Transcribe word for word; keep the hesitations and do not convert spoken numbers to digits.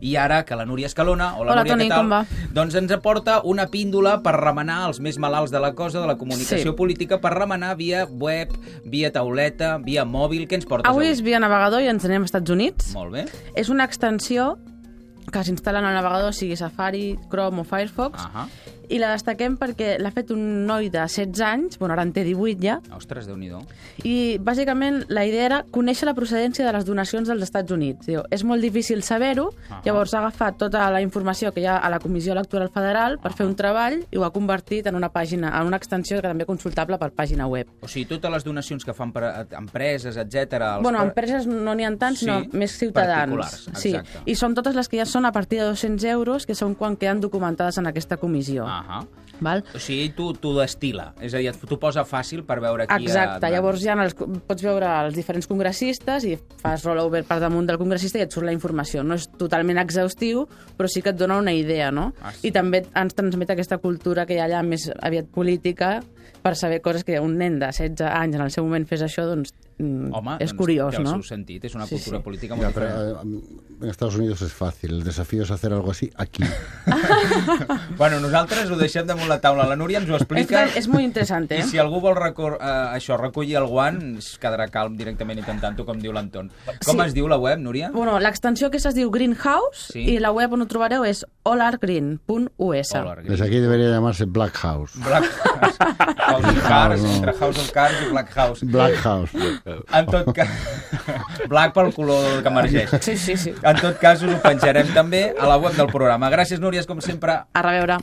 i ara que la Núria Escalona, hola, hola Núria, Toni, què tal? Com va? Doncs ens aporta una píndola per remenar els més malalts de la cosa, de la comunicació sí. política, per remenar via web, via tauleta, via mòbil. Què ens portes avui? Avui és via navegador i ens anem als Estats Units. Molt bé. És una extensió que s'instal·la en el navegador, sigui Safari, Chrome o Firefox, Ahà. i la destaquem perquè l'ha fet un noi de setze anys, bueno, ara en té divuit ja, Ostres, Déu-n'hi-do. i bàsicament la idea era conèixer la procedència de les donacions dels Estats Units. Diu, és molt difícil saber-ho, Ahà. llavors ha agafat tota la informació que hi ha a la Comissió Electoral Federal per fer un treball i ho ha convertit en una pàgina, en una extensió que també consultable per pàgina web. O sigui, totes les donacions que fan per a empreses, etcètera... Bueno, empreses no n'hi ha tant, Sí, sinó més ciutadans. particulars, Sí, exacte. i són totes les que ja són a partir de dos-cents euros, que són quan queden documentades en aquesta comissió. Ahà. Val? O sigui, tu, tu destila, és a dir, t'ho posa fàcil per veure qui... Exacte, ha... llavors ja els, pots veure els diferents congressistes i fas rollover per damunt del congressista i et surt la informació. No és totalment exhaustiu, però sí que et dona una idea, no? Ah, sí. I també ens transmet aquesta cultura que hi ha allà més aviat política per saber coses que un nen de setze anys en el seu moment fes això, doncs Home, és doncs curiós, té el no? seu sentit, és una Sí, cultura sí. política molt Ya, pero, diferent. eh, en Estados Unidos es fácil. El desafío es hacer algo así aquí. Bueno, nosaltres ho deixem damunt la taula. La Núria ens ho És, explica. que és molt interessant, eh? I si algú vol recor eh, això, recollir el guant, es quedarà calm directament intentant-ho, com diu l'Anton. Com Sí. es diu la web, Núria? Bueno, l'extensió que es diu Greenhouse Sí. i la web on ho trobareu és all are green punt u s. Hola, Desde aquí debería llamarse Black House. Black House. House of Cards, no. entre House of Cards i Black House. Black House. En tot cas... Black pel color que emergeix. Sí, sí, sí. En tot cas, us ho penjarem també a la web del programa. Gràcies, Núria, com sempre. A reveure.